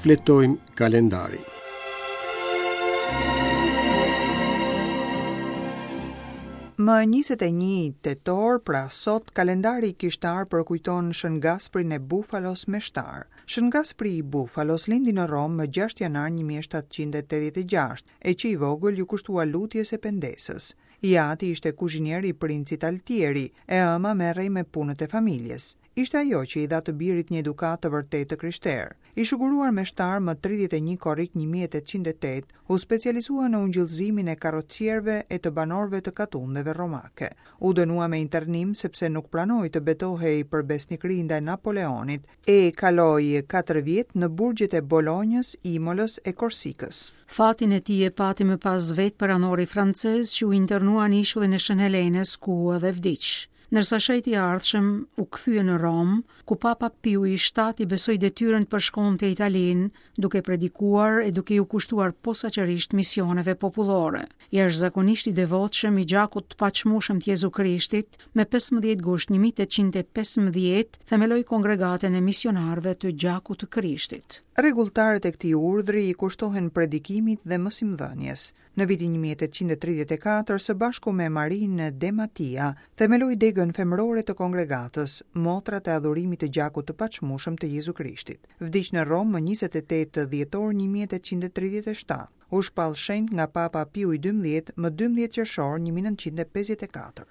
Shfletojmë kalendarin. Më 21 tetor, pra sot, kalendari kishtar përkujton Shën Gasprin e Bufalos meshtar. Shën Gaspri i Bufalos lindi në Romë më 6 janar 1786, e që i vogël iu kushtua lutjes e pendesës. I ati ishte kuzhinier i princit Altieri, e ëma merrej me punët e familjes. Ishte ajo që i dha të birit një edukatë të vërtetë të krishterë. I shuguruar meshtar më 31 korrik 1808, u specializua në ungjillëzimin e karrocierëve e të banorëve të katundeve romake. U dënua me internim sepse nuk pranoi të betohej për besnikëri ndaj Napoleonit, e kaloi 4 vjet në burgjet e Bolonjës, Imolës e Korsikës. Fatin e tij e pati më pas vetë peranori francez që u internua në ishullin e Shën Helenës ku edhe vdiq. Ndërsa shenjti i ardhshëm u kthye në Romë, ku Papa Piu i VII i besoi detyrën të përshkonte Italinë, duke predikuar e duke iu kushtuar posaçërisht misioneve popullore. Jashtëzakonisht i devotshëm i gjakut të paçmueshëm të Jezu Krishtit, me 15 gusht 1815 themeloi kongregatën e misionarëve të gjakut të Krishtit. Rregulltarët e këtij urdhri i kushtohen predikimit dhe mësimdhënies. Në vitin 1834, së bashku me Marinë De Matia, themeloi degën femërore të kongregatës, Motrat e Adhurimit të Gjakut të Paçmueshëm të Jezu Krishtit. Vdiq në Romë më 28 dhjetor 1837. U shpall shenjt nga Papa Piu i XII më 12 qershor 1954.